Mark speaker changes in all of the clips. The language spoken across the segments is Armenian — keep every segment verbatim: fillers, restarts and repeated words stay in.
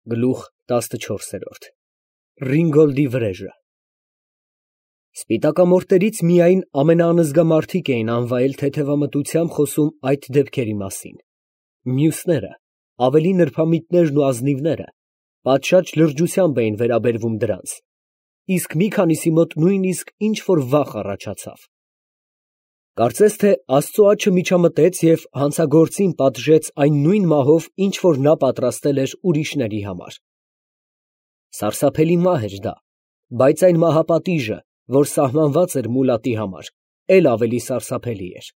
Speaker 1: Գլուխ տասնչորս։ Ռինգոլդի վրեժը Սպիտակամորտերից միայն ամենաանզգամարդիկ էին անվայել թեթևամտությամբ խոսում այդ դեպքերի մասին, մյուսները, ավելի նրբամիտներն ու ազնիվները, պատշաճ լրջությամբ էին վերաբերվում դրանց, իսկ մի քանիսի մոտ նույնիսկ ինչ֊որ վախ առաջացավ. կարծես թե Աստծու աջը միջամտեց և հանցագործին պատժեց այն նույն մահով, ինչ որ նա պատրաստել էր ուրիշների համար։ Սարսափելի մահ էր դա, բայց այն մահապատիժը, որ սահմանված էր Մուլատի համար, էլ ավելի սարսափելի էր։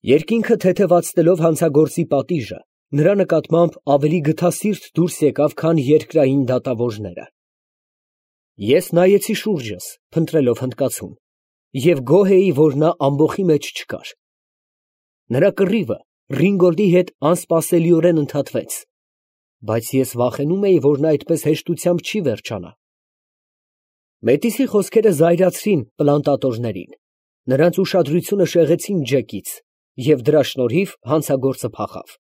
Speaker 1: Երկինքը թեթևացնելով հանցագործի պատիժը, նրա նկատմամբ ավելի գթասիրտ դուրս եկավ, քան երկրային դատավորները։ Ես նայեցի շուրջս, փնտրելով հնդկացուն, և գոհ էի, որ նա ամբոխի մեջ չկար։ Նրա կռիվը Ռինգոլդի հետ անսպասելիորեն ընդհատվեց, բայց ես վախենում էի, որ նա այդպես հեշտությամբ չի վերջանա։ Մետիսի խոսքերը զայրացրին պլանտատորներին, նրանց ուշադրությունը շեղեցին Ջեկից, և դրա շնորհիվ հանցագործը փախավ։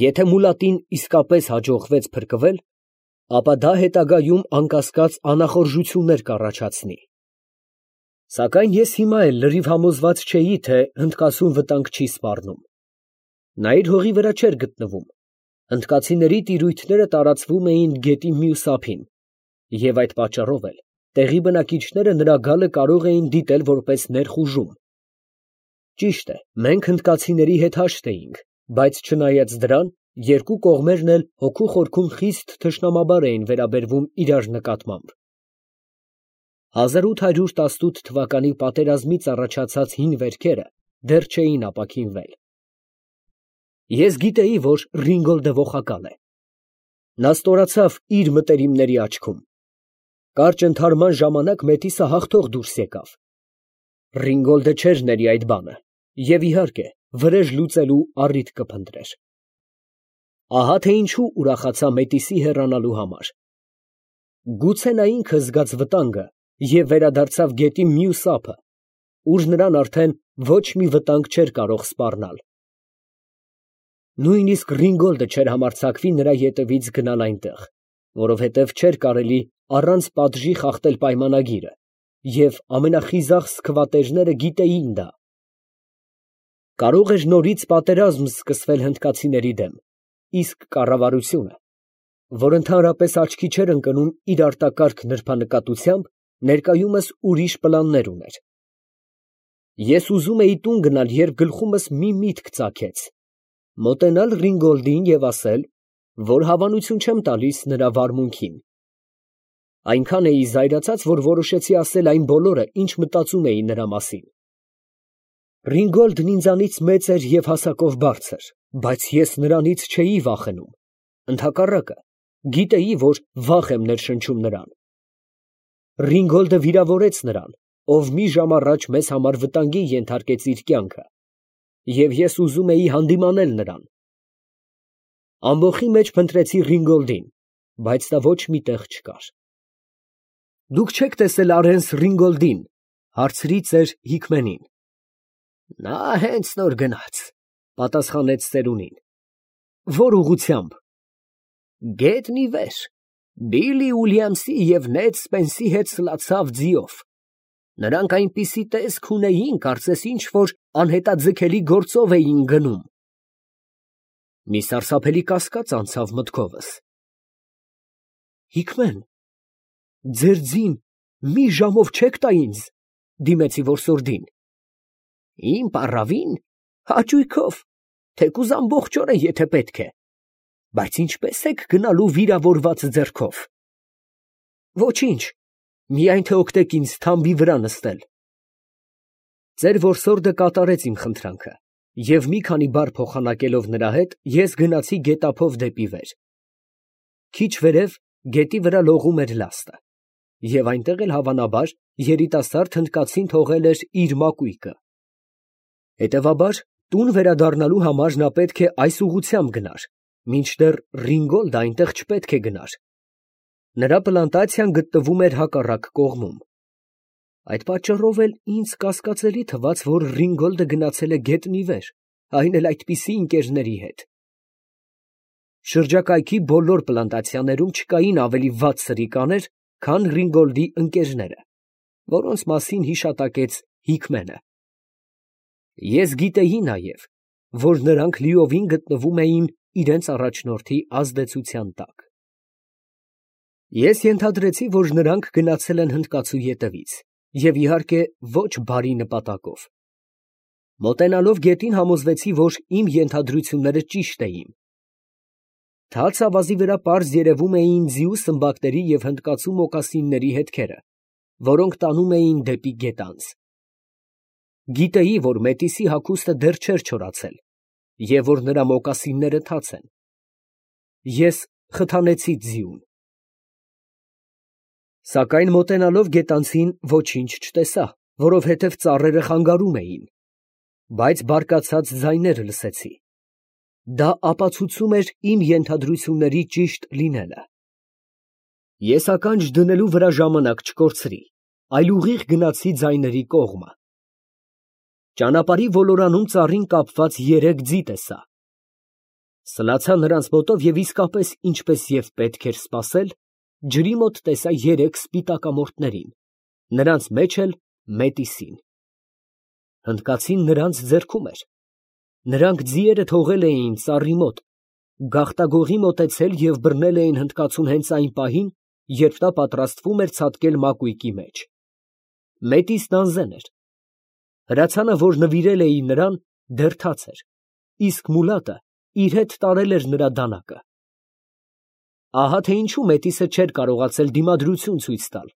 Speaker 1: Եթե Մուլատին իսկապես հաջողվեց փրկվել, ապա դա հետագայում անկասկած անախորժություններ կառաջացնի։ Սակայն ես հիմա էլ լրիվ համոզված չէի, թե հնդկացուն վտանգ չի սպառնում։ Նա իր հողի վրա չէր գտնվում, հնդկացիների տիրույթները տարածվում էին գետի մյուս ափին, և այդ պատճառով էլ տեղի բնակիչները նրա գալը կարող էին դիտել որպես ներխուժում։ Ճիշտ է, մենք հնդկացիների հետ հաշտ էինք, բայց չնայած դրան, երկու կողմերն էլ հոգու խորքում խիստ թշնամաբար էին վերաբերվում իրար նկատմամբ։ հազար ութ հարյուր տասնութ թվականի պատերազմից առաջացած հին վերքերը դեռ չէին ապաքինվել։ Ես գիտեի, որ Ռինգոլդը ողակալ է։ Նա ստորացավ իր մտերիմների աչքում։ Կարճ ընդհարման ժամանակ Մետիսը հաղթող դուրս եկավ։ Ռինգոլդը չէր ների այդ բանը և, իհարկե, վրեժ լուծելու առիթ կփնտրեր։ Ահա թե ինչու ուրախացա Մետիսի հեռանալու համար։ Գուցե նա ինքը զգաց վտանգը և վերադարձավ գետի մյուս ափը, ուր նրան արդեն ոչ մի վտանգ չէր կարող սպառնալ։ Նույնիսկ Ռինգոլդը չէր համարձակվի նրա ետևից գնալ այնտեղ, որովհետև չէր կարելի առանց պատժի խախտել պայմանագիրը, և ամենախիզախ սքվատերները գիտեին դա։ Կարող էր նորից պատերազմ սկսվել հնդկացիների դեմ, իսկ կառավարությունը, որ ընդհանրապես աչքի չէր ընկնում իր արտակարգ նրբանկատությամբ, ներկայումս ուրիշ պլաններ ուներ։ Ես ուզում էի տուն գնալ, երբ գլխումս մի միտք ծագեց, մոտենալ Ռինգոլդին և ասել, որ հավանություն չեմ տալիս նրա վարմունքին։ Այնքան էի զայրացած, որ որոշեցի ասել այն բոլորը, ինչ մտածում էի նրա մասին։ Ռինգոլդն ինձանից մեծ էր և հասակով բարձր, բայց ես նրանից չէի վախենում, ընդհակառակը, գիտեի, որ վախ եմ ներշնչում նրան։ Ռինգոլդը վիրավորեց նրան, ով մի ժամ առաջ մեզ համար վտանգի ենթարկեց իր կյանքը, և ես ուզում էի հանդիմանել նրան։ Ամբոխի մեջ փնտրեցի Ռինգոլդին, բայց նա ոչ մի տեղ չկար։ ֊ Դուք չեք տեսել Արենս Ռինգոլդին, ֊ հարցրի ծեր Հիկմենին։ ֊ Նա հենց նոր գնաց, ֊ պատասխանեց ծերունին։ ֊ Ո՞ր ուղղությամբ։ ֊ Գետն ի վեր, Բիլլի Ուիլյամսի և Նեդ Սպենսի հետ սլացավ ձիով։ Նրանք այնպիսի տեսք ունեին, կարծես ինչ֊որ անհետաձգելի գործով էին գնում։ Մի սարսափելի կասկած անցավ մտքովս։ Հիկմեն, ձեր ձին մի ժամով չեք տա ինձ, ֊ դիմեցի որսորդին։ ֊ Իմ պառավին, հաճույքով, թեկուզ ամբողջ օրը, եթե պետք է, բայց ինչպե՞ս եք գնալու վիրավորված ձեռքով։ ֊ Ոչինչ, միայն թե օգնեք ինձ թամբի վրա նստել։ Ծեր որսորդը կատարեց իմ խնդրանքը, և մի քանի բառ փոխանակելով նրա հետ, ես գնացի գետափով դեպի վեր։ Քիչ վերև գետի վրա լողում էր լաստը, և այնտեղ էլ, հավանաբար, երիտասարդ հնդկացին թողել էր իր մակույկը։ Հետևաբար, տուն վերադառնալու համար նա պետք է այս ուղղությամբ գնար, մինչդեռ Ռինգոլդը այնտեղ չպետք է գնար։ Նրա պլանտացիան գտնվում էր հակառակ կողմում։ Այդ պատճառով էլ ինձ կասկածելի թվաց, որ Ռինգոլդը գնացել է գետն ի վեր, այն էլ այդպիսի ընկերների հետ։ Շրջակայքի բոլոր պլանտացիաներում չկային ավելի վատ սրիկաներ, քան Ռինգոլդի ընկերները, որոնց մասին հիշատակեց Հիկմենը։ Ես գիտեի նաև, որ նրանք լիովին գտնվում էին իրենց առաջնորդի ազդեցության տակ։ Ես ենթադրեցի, որ նրանք գնացել են հնդկացու ետևից և, իհարկե, ոչ բարի նպատակով։ Մոտենալով գետին համոզվեցի, որ իմ ենթադրությունները ճիշտ էին։ Թաց ավազի վրա պարզ երևում էին ձիու սմբակների և հնդկացու մոկասինների հետքերը, որոնք տանում էին դեպի գետանձ։ Գիտեի, որ Մետիսի հագուստը դեռ չէր չորացել և որ նրա մոկասինները թաց են։ Ես խթանեցի ձիուն։ Սակայն մոտենալով գետանցին ոչինչ չտեսա, որովհետև ծառերը խանգարում էին, բայց բարկացած ձայներ լսեցի։ Դա ապացուցում էր իմ ենթադրությունների ճիշտ լինելը։ Ես ականջ դնելու վրա ժամանակ չկորցրի, այլ ուղիղ գնացի ձայների կողմը։ Ճանապարհի ոլորանում ծառին կապված երեք ձի տեսա։ Սլացա նրանց մոտով և իսկապես, ինչպես և պետք էր սպասել, ջրի մոտ տեսա երեք սպիտակամորթներին, նրանց մեջ էլ Մետիսին։ Հնդկացին նրանց ձեռքում էր։ Նրանք ձիերը թողել էին ծառի մոտ, գաղտագողի մոտեցել և բռնել էին հնդկացուն հենց այն պահին, երբ նա պատրաստվում էր ցատկել մակույկի մեջ։ Մետիսն անզեն էր։ Հրացանը, որ նվիրել էին նրան, դեռ թաց էր, իսկ մուլատը իր հետ տարել էր նրա դանակը։ Ահա թե ինչու Մետիսը չէր կարողացել դիմադրություն ցույց տալ,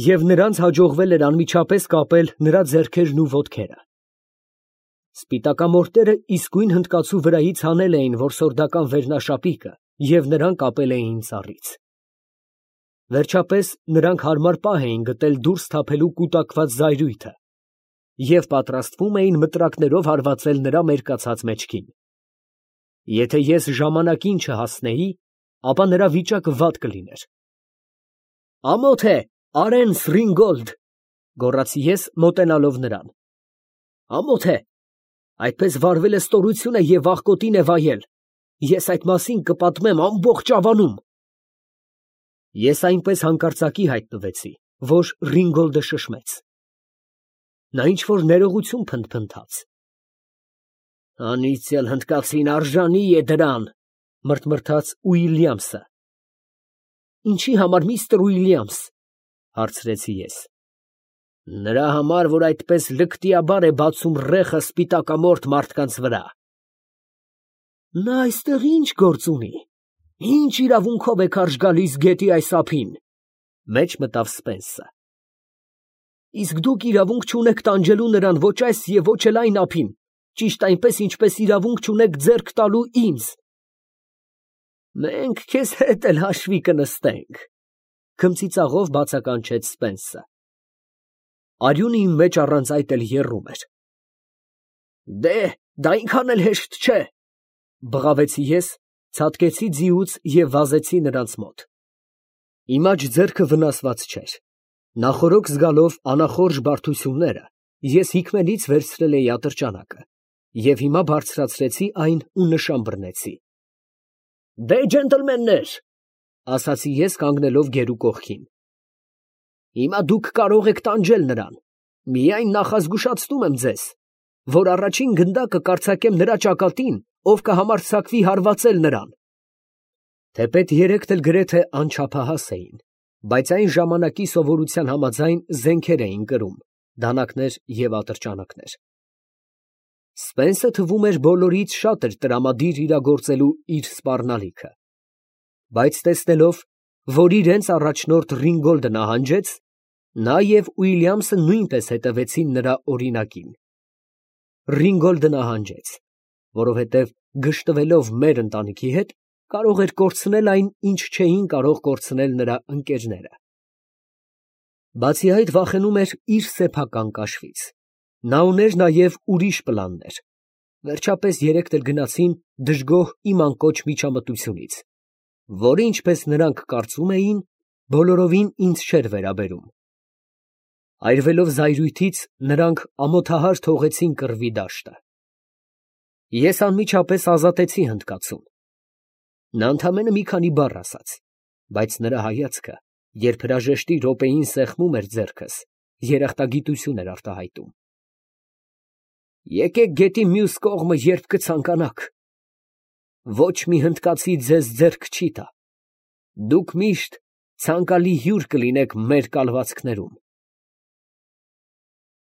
Speaker 1: և նրանց հաջողվել էր անմիջապես կապել նրա ձեռքերն ու ոտքերը։ Սպիտակամորթները իսկույն հնդկացու վրայից հանել էին որսորդական վերնաշապիկը և նրան կապել էին ծառից։ Վերջապես նրանք հարմար պահ էին գտել դուրս թափելու կուտակված զայրույթը և պատրաստվում էին մտրակներով հարվածել նրա մերկացած մեջքին։ Եթե ես ժամանակին չհասնեի, ապա նրա վիճակը վատ կլիներ։ «Ամոթ է, Արենց Ռինգոլդ», գոռացի ես, մոտենալով նրան։ «Ամոթ է, այդպես վարվելը ստորություն է և աղքոտին է վայել։ Ես այդ մասին կպատմեմ ամբողջ ավանում»։ Ես այնպես հանկարծակի հայտնվեցի, որ Ռինգոլդը շշմեց։ Նա ինչ֊որ ներողություն փնթփնթաց։ «Անիծյալ հնդկացին արժանի է դրան», մրթմրթաց Ուիլյամսը։ «Ինչի համար, միստր Ուիլյամս», հարցրեցի ես։ «Նրա համար, որ այդպես լկտիաբար է բացում ռեխը սպիտակամորթ մարդկանց վրա»։ «Նա այստեղ ի՞նչ գործ ունի, ի՞նչ իրավունքով է քարշ գալիս գետի այս ափին», մեջ մտավ Սպենսը։ «Իսկ դուք իրավունք չունեք տանջելու նրան ոչ այս և ոչ էլ այն ափին, ճիշտ այնպես, ինչպես իրավունք չունեք ձեռք տալու ինձ»։ «Մենք քեզ հետ էլ հաշվի կնստենք», քմծիծաղով բացականչեց Սպենսը։ Արյունը իմ մեջ առանց այդ էլ եռում էր։ «Դե, դա այնքան էլ հեշտ չէ», բղավեցի ես, ցատկեցի ձիուց և վազեցի նրանց մոտ։ Իմ աջ ձեռքը վնասված չէր։ Նախօրոք զգալով անախորժ բարդությունները, ես Հիկմենից վերցրել էի ատրճանակը և հիմա բարձրացրեցի այն ու նշան բռնեցի։ «Դե, ջենտլմեններ», ասացի ես, կանգնելով գերու կողքին, «հիմա դուք կարող եք տանջել նրան, միայն նախազգուշացնում եմ ձեզ, որ առաջին գնդակը կարձակեմ նրա ճակատին, ով կհամարձակվի հարվածել նրան»։ Թեպետ երեքն էլ գրեթե անչափահաս էին, բայց այն ժամանակի սովորության համաձայն զենքեր էին կրում, դանակներ և ատրճանակներ։ Սպենսը թվում էր բոլորից շատ էր տրամադիր իրագործելու իր սպառնալիքը, բայց տեսնելով, որ իրենց առաջնորդ Ռինգոլդը նահանջեց, նա և Ուիլյամսը նույնպես հետևեցին նրա օրինակին։ Ռինգոլդը նահանջեց, որովհետև գժտվելով մեր ընտանիքի հետ, կարող էր կորցնել այն, ինչ չէին կարող կորցնել նրա ընկերները։ Բացի այդ, վախենում էր իր սեփական կաշվից։ Նա ուներ նաև ուրիշ պլաններ։ Վերջապես երեքն էլ գնացին դժգոհ իմ անկոչ միջամտությունից, որը, ինչպես նրանք կարծում էին, բոլորովին ինձ չէր վերաբերում։ Այրվելով զայրույթից, նրանք ամոթահար թողեցին կռվի դաշտը։ Ես անմիջապես ազատեցի հնդկացուն։ Նա ընդամենը մի քանի բառ ասաց, բայց նրա հայացքը, երբ հրաժեշտի րոպեին սեղմում էր ձեռքս, երախտագիտություն էր արտահայտում։ Եկեք գետի մյուս կողմը, երբ կցանկանաք. ոչ մի հնդկացի ձեզ ձեռք չի տա. դուք միշտ ցանկալի հյուր կլինեք մեր կալվածքներում։